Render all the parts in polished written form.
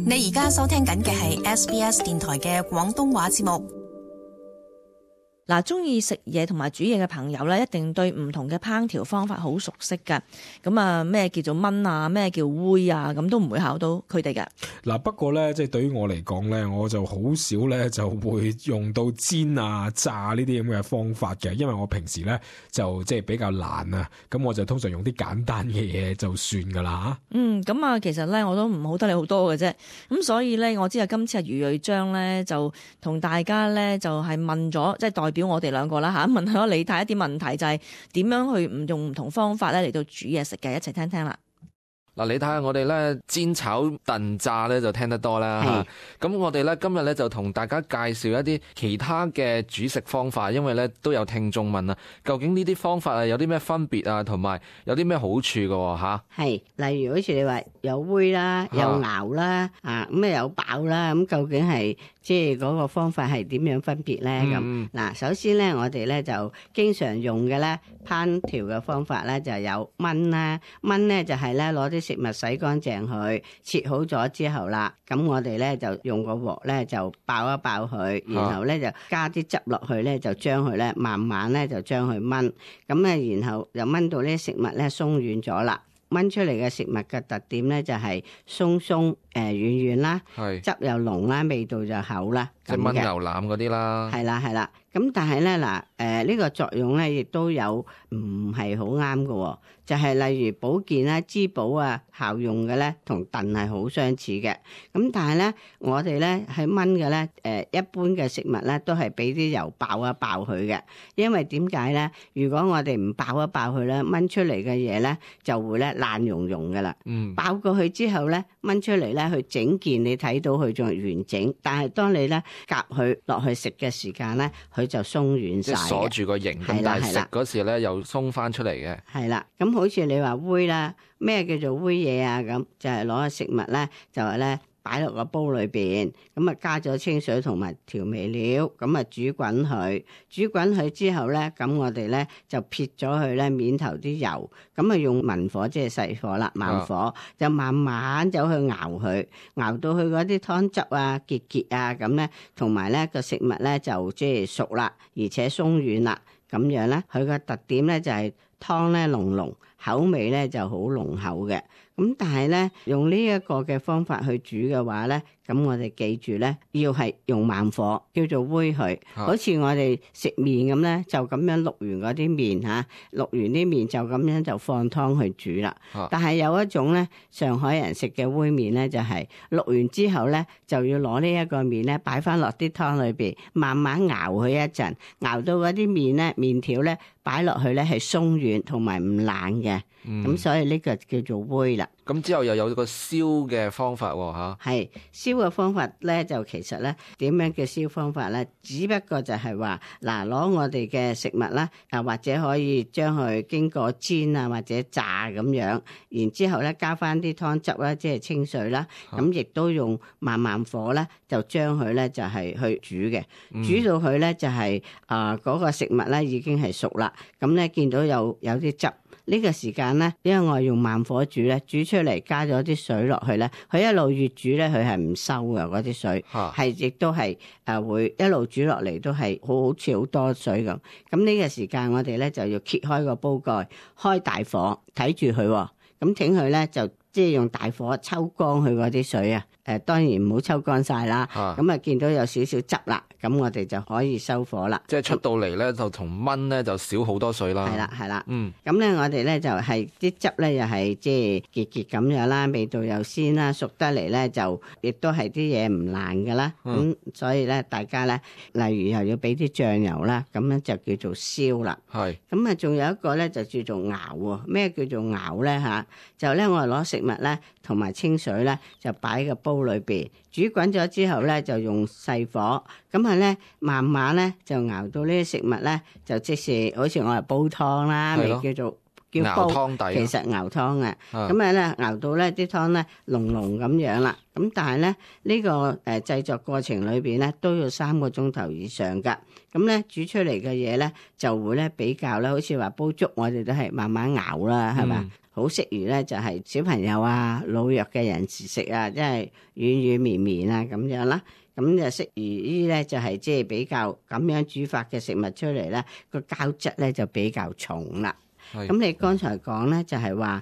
你而家收聽緊嘅係 SBS 電台嘅廣東話節目。嗱，中意食嘢同埋煮嘢嘅朋友咧，一定對唔同嘅烹調方法好熟悉㗎。咁啊，咩叫做燜啊，咩叫煨啊，咁都唔會考到佢哋㗎。嗱，不過咧，即係對於我嚟講咧，我就好少咧就會用到煎啊、炸呢啲咁嘅方法嘅，因為我平時咧就即係比較懶啊，咁我就通常用啲簡單嘅嘢就算㗎啦嚇。咁啊，其實咧我都唔好得你好多嘅啫。咁所以咧，我知啊，今次余瑞章咧就同大家咧就係問咗，即係代表我哋兩個啦嚇，問咗李太一啲問題，就係點樣去唔用唔同方法咧嚟到煮嘢食嘅，一齊聽聽啦。嗱，你睇下我哋咧煎炒燉炸咧就聽得多啦嚇，咁我哋咧今日咧就同大家介紹一啲其他嘅煮食方法，因為咧都有聽眾問啊，究竟呢啲方法啊有啲咩分別啊，同埋有啲咩好處㗎嚇？係，例如好似你話有煨啦，有熬啦，咁有爆啦，咁究竟係即係嗰個方法係點樣分別咧？咁嗱，首先咧我哋咧就經常用嘅咧烹調嘅方法咧就有燜啦，燜咧就係咧攞啲食物洗乾淨佢，切好咗之後啦，咁我哋咧就用個鑊咧就爆一爆佢，然後咧就加啲汁落去咧，就將佢咧慢慢咧就將佢燜，咁咧然後就燜到呢啲食物咧鬆軟咗啦。燜出嚟嘅食物嘅特點咧就係鬆鬆軟軟啦，汁又濃啦，味道就厚啦，即係燜牛腩嗰啲啦。係啦，咁但係咧嗱呢個作用咧亦都有唔係好啱嘅，就係例如保健啦、滋補啊效用嘅咧，同燉係好相似嘅。咁但係咧我哋咧喺燜嘅咧一般嘅食物咧都係俾啲油爆一爆佢嘅，因為點解咧？如果我哋唔爆一爆佢咧，燜出嚟嘅嘢咧就會咧爛溶溶嘅啦。爆過去之後咧，燜出嚟咧佢整件你睇到佢仲係完整，但係當你咧夾佢落去食嘅時間咧，佢就鬆軟晒，即係鎖住個形，但係食嗰時咧又鬆翻出嚟嘅。係啦，咁好似你話煨啦，咩叫做煨嘢啊？咁就係攞個食物咧，就係咧擺落個煲裏邊，咁啊加咗清水同埋調味料，咁啊煮滾佢，煮滾佢之後咧，咁我哋咧就撇咗佢咧面頭啲油，咁啊用文火即係細火啦，慢火就慢慢走去熬佢，熬到佢嗰啲湯汁啊結結啊咁咧，同埋咧個食物咧就即係熟啦，而且鬆軟啦，咁樣咧佢個特點咧就係湯咧濃濃，口味咧就好濃厚嘅。咁但係咧用呢一個嘅方法去煮嘅話咧，咁我哋記住咧要係用慢火，叫做煨佢。好似我哋食麵咁咧，就咁樣淥完嗰啲麵嚇，淥完啲麵就咁樣就放湯去煮啦。但係有一種咧上海人食嘅煨麵咧，就係淥完之後咧就要攞呢一個麵咧擺翻落啲湯裏邊，慢慢熬佢一陣，熬到嗰啲麵咧麵條咧擺落去咧係鬆軟同埋唔爛嘅。咁所以呢個叫做煨啦。咁之後又有個燒嘅方法喎嚇。係燒嘅方法咧，就其實咧點樣嘅燒方法咧？只不過就係話嗱，攞我哋嘅食物啦，或者可以將佢經過煎啊或者炸咁樣，然之後咧加翻啲湯汁啦，即係清水啦，咁亦都用慢火咧，就將佢咧就係去煮嘅，煮到佢咧就係嗰個食物咧已經係熟啦，咁咧見到有啲汁。呢個時間咧，因為我用慢火煮咧，煮出嚟加咗啲水落去咧，佢一路越煮咧，佢係唔收嘅嗰啲水，係亦都係會一路煮落嚟都係好似好多水咁。咁呢個時間我哋咧就要揭開個煲蓋，開大火睇住佢，咁請佢咧就即係用大火抽乾佢嗰啲水啊。當然唔好抽乾晒啦，咁啊見到有少少汁啦，咁我哋就可以收火啦。即係出到嚟咧，就同燜咧就少好多水啦。係啦，咁咧我哋咧就係啲汁咧又係即係結咁樣啦，味道又鮮啦，熟得嚟咧就亦都係啲嘢唔爛噶啦。咁所以咧大家咧，例如又要俾啲醬油啦，咁樣就叫做燒啦。係。咁啊仲有一個咧就叫做熬喎。咩叫做熬咧嚇？就咧我哋攞食物咧同埋清水咧就擺個煲裏邊煮滾咗之後咧，就用細火，咁啊咧慢慢咧就熬到呢啲食物咧，就即是好似我係煲湯啦，咪叫做叫煲熬湯底，其實熬湯啊。咁咧熬到咧啲湯咧濃濃咁樣啦。咁但係咧呢個製作過程裏邊咧都要3個鐘頭以上㗎。咁咧煮出嚟嘅嘢咧就會咧比較咧，好似話煲粥，我哋都係慢慢熬啦，係嘛？好適宜咧就係小朋友啊、老弱嘅人士食啊，即係軟軟綿綿啊咁樣啦。咁就適宜呢咧就係即係比較咁樣煮法嘅食物出嚟咧，個膠質咧就比較重啦。咁你剛才講咧就係話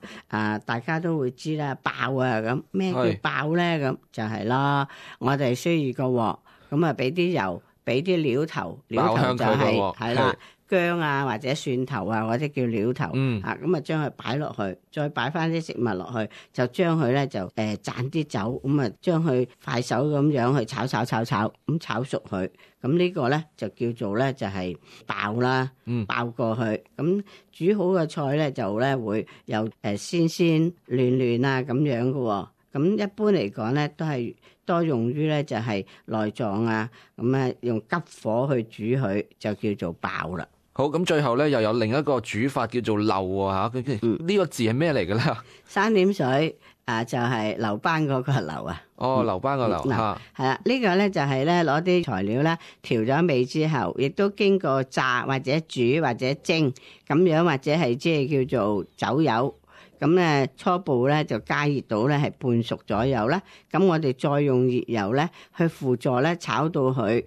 大家都會知啦，爆啊咁咩叫爆咧？咁就係啦，我哋需要個鑊，咁啊俾啲油，俾啲料頭，料頭就係啦。薑啊或者蒜頭啊或者叫料頭，咁啊將佢擺落去，再擺翻啲食物落去，就將佢咧就灒啲酒，咁啊將佢快手咁樣去炒，咁炒熟佢，咁呢個咧就叫做咧就係爆啦，爆過去，咁煮好嘅菜咧就咧會有鮮嫩啊咁樣嘅喎，咁一般嚟講咧都係多用於咧就係內臟啊，咁啊用急火去煮佢就叫做爆啦。好，咁最後咧又有另一個煮法叫做漏啊嚇，呢個字係咩嚟嘅咧？三點水就係留班嗰個留啊。哦，留班個留嚇，係啦，呢個咧就係咧攞啲材料咧調咗味之後，亦都經過炸或者煮或者蒸咁樣，或者係即係叫做走油。咁咧初步咧就加熱到咧係半熟左右啦。咁我哋再用熱油咧去輔助咧炒到佢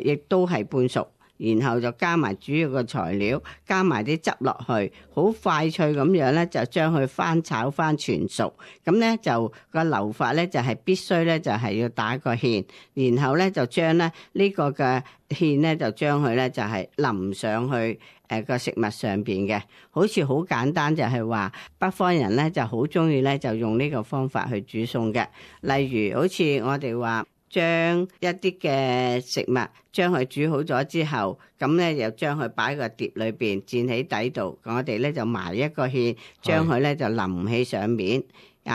亦都係半熟。然後就加埋主要嘅材料，加埋啲汁落去，好快脆咁樣咧，就將佢翻炒翻全熟。咁咧就個流法咧就係必須咧就係要打個芡，然後咧就將咧呢個嘅芡咧就將佢咧就係淋上去個食物上邊嘅。好似好簡單，就係話北方人咧就好中意咧就用呢個方法去煮餸嘅。例如好似我哋話，將一啲嘅食物將佢煮好咗之後，咁咧又將佢擺喺個碟裏邊墊喺底度，我哋咧就埋一個芡，將佢咧就淋起上面，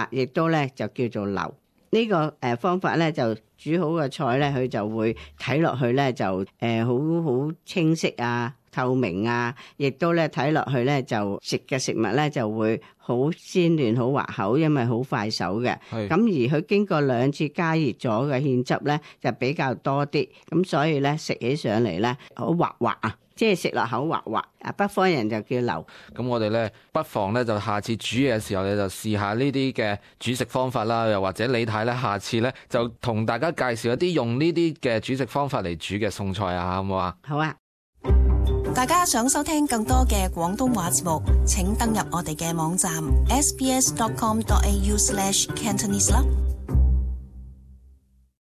亦都咧就叫做流。呢個方法咧就煮好嘅菜咧，佢就會睇落去咧就好清晰啊、透明啊，亦都咧睇落去咧就食嘅食物咧就會好鮮嫩、好滑口，因為好快手嘅。咁而佢經過2次加熱咗嘅芡汁咧就比較多啲，咁所以咧食起上嚟咧好滑滑啊，即係食落口滑滑。北方人就叫流。咁我哋咧不妨咧就下次煮嘢嘅時候咧就試下呢啲嘅煮食方法啦，又或者李太咧下次咧就同大家介紹一啲用呢啲嘅煮食方法嚟煮嘅餸菜啊，好唔好啊？好啊！大家想收聽更多嘅廣東話節目，請登入我哋嘅網站 sbs.com.au/cantonese 啦。